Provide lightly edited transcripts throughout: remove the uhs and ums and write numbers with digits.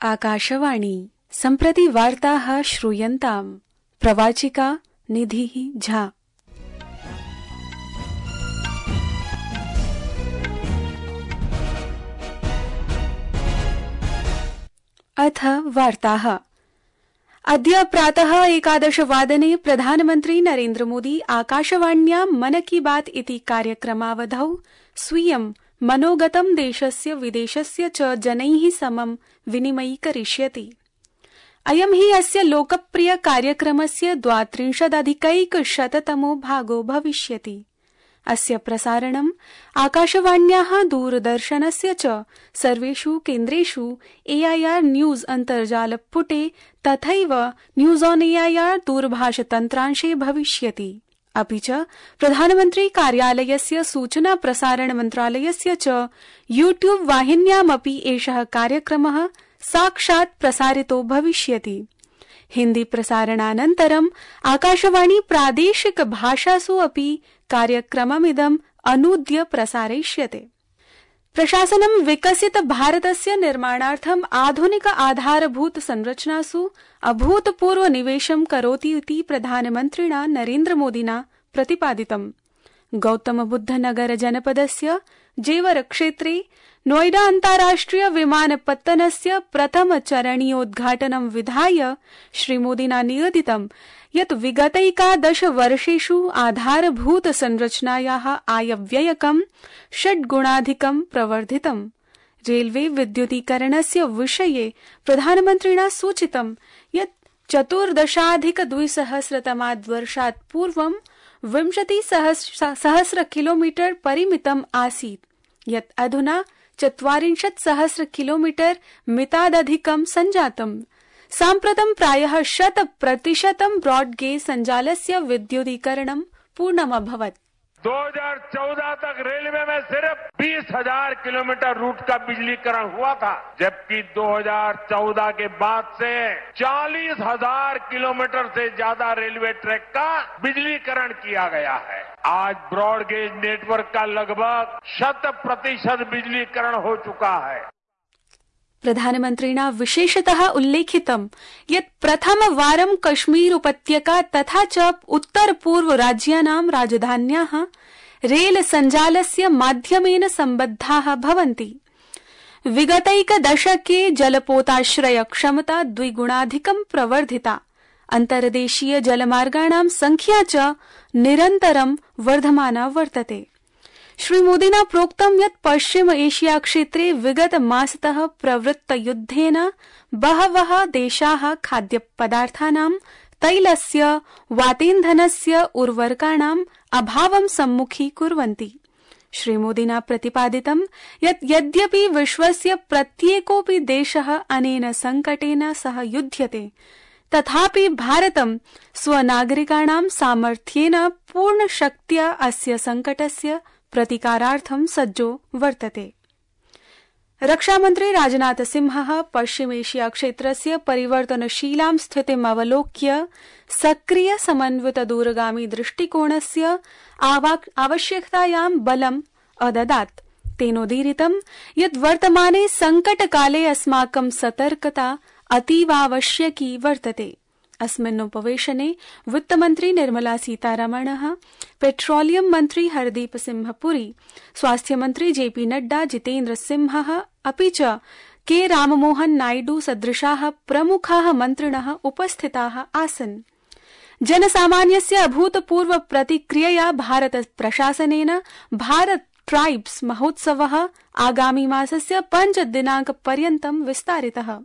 आकाशवाणी सम्प्रति वार्ताः श्रूयन्ताम्। प्रवाचिका निधिः झा। अथ वार्ताः। अद्य प्रातः 11 वादने प्रधानमन्त्री नरेन्द्र मोदी आकाशवाण्यां मन की बात इति कार्यक्रमावधौ स्वीयं मनोगतं देशस्य विदेशस्य च जनैः समं विनिमयीकरिष्यति। अयं हि अस्य लोकप्रिय कार्यक्रमस्य 32,100तमो भागो भविष्यति। अस्य प्रसारणम् आकाशवाण्याः दूरदर्शनस्य च सर्वेषु केन्द्रेषु AIR न्यूज अन्तर्जालपुटे तथैव न्यूज ऑन AIR दूरभाषतन्त्रांशे भविष्यति। अपि च प्रधानमन्त्री कार्यालयस्य सूचना प्रसारण मन्त्रालयस्य च YouTube वाहिन्यामपि एषः कार्यक्रमः साक्षात् प्रसारितो भविष्यति। हिन्दी प्रसारणानन्तरम् आकाशवाणी प्रादेशिक भाषासु अपि कार्यक्रममिदम् अनूद्य प्रसारयिष्यते। प्रशासनं विकसित भारतस्य निर्माणार्थम् आधुनिक आधारभूत संरचनासु अभूतपूर्व निवेशं करोति इति प्रधानमन्त्रिणा नरेन्द्र मोदिना प्रतिपादितम्। गौतमबुद्धनगर जनपदस्य जेवर क्षेत्रे नोएडा अन्ताराष्ट्रिय विमानपत्तनस्य प्रथम चरणीयोद्घाटनं विधाय श्रीमोदिना निगदितं यत् विगतैकादश वर्षेषु आधारभूत संरचनायाः आयव्ययकं 6 गुणाधिकं प्रवर्धितम्। रेलवे विद्युतीकरणस्य विषये प्रधानमन्त्रिणा सूचितं यत् 14,200 वर्षात् पूर्वं 20,000 किलोमीटर परिमितम् आसीत्, यत् अधुना 40,000 किलोमीटर मितादधिकं सञ्जातम्। साम्प्रतं प्रायः 100% ब्रॉडगेज संजालस्य विद्युतीकरणं पूर्णमभवत्। 2014 तक रेलवे में सिर्फ 20,000 किलोमीटर रूट का बिजलीकरण हुआ था, जबकि 2014 के बाद से 40,000 किलोमीटर से ज्यादा रेलवे ट्रैक का बिजलीकरण किया गया है। आज ब्रॉडगेज नेटवर्क का लगभग 100% बिजलीकरण हो चुका है। प्रधानमन्त्रिणा विशेषतः उल्लेखितं यत् प्रथमवारं कश्मीर उपत्यका तथा च उत्तर पूर्व राज्यानां राजधान्याः रेल संजालस्य माध्यमेन सम्बद्धाः भवन्ति। विगतैकदशके जलपोताश्रय क्षमता 2 गुणाधिकं प्रवर्धिता। अन्तर्देशीय जलमार्गाणां संख्या च निरन्तरं वर्धमाना वर्तते। श्रीमोदिना प्रोक्तं यत् पश्चिम एशिया क्षेत्रे विगत मासतः प्रवृत्त युद्धेन बहवः देशाः खाद्यपदार्थानां, तैलस्य, वातेन्धनस्य, उर्वरकाणाम् अभावं सम्मुखीकुर्वन्ति। श्रीमोदिना प्रतिपादितं यत् यद्यपि विश्वस्य प्रत्येकोऽपि देशः अनेन संकटेन सह युध्यते, तथापि भारतं स्वनागरिकाणां सामर्थ्येन पूर्णशक्त्या अस्य संकटस्य प्रतिकारार्थं सज्जो वर्तते। रक्षामन्त्री राजनाथ सिंहः पश्चिम एशिया क्षेत्रस्य परिवर्तनशीलां स्थितिम् अवलोक्य सक्रिय समन्वित दूरगामी दृष्टिकोणस्य आवश्यकतायां बलम् अददात्। तेनोदीरितं यत् वर्तमाने संकटकाले अस्माकं सतर्कता अतीवावश्यकी वर्तते। अस्मिन् उपवेशने वित्तमन्त्री निर्मला सीतारमणः, पेट्रोलियम मन्त्री हरदीप सिंह पुरी, स्वास्थ्यमन्त्री JP नड्डा, जितेन्द्र सिंहः अपि च के राममोहन नायडू सदृशाः प्रमुखाः मन्त्रिणः उपस्थिताः आसन्। जनसामान्यस्य अभूतपूर्व प्रतिक्रियया भारत प्रशासनेन भारत ट्राइब्स महोत्सवः आगामी मासस्य 5 दिनाङ्कपर्यन्तं विस्तारितः।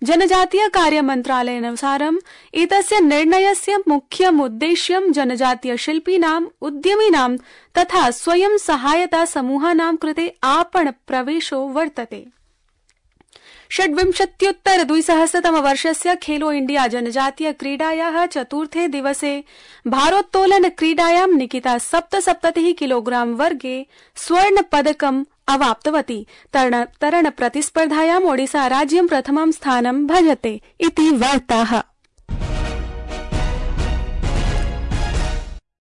जनजातीय कार्य मन्त्रालयानुसारम् एतस्य निर्णयस्य मुख्यमुद्देश्यं जनजातीय शिल्पिनाम्, उद्यमिनां तथा स्वयं सहायता समूहानां कृते आपण प्रवेशो वर्तते। 26,200 खेलो इंडिया जनजातीय क्रीडायाः चतुर्थे दिवसे भारोत्तोलन क्रीडायां निकिता 77 किलोग्राम वर्गे स्वर्ण पदकम् अवाप्तवती। तरण प्रतिस्पर्धायाम् ओडिसा राज्यं प्रथमं स्थानं भजते इति वार्ताः।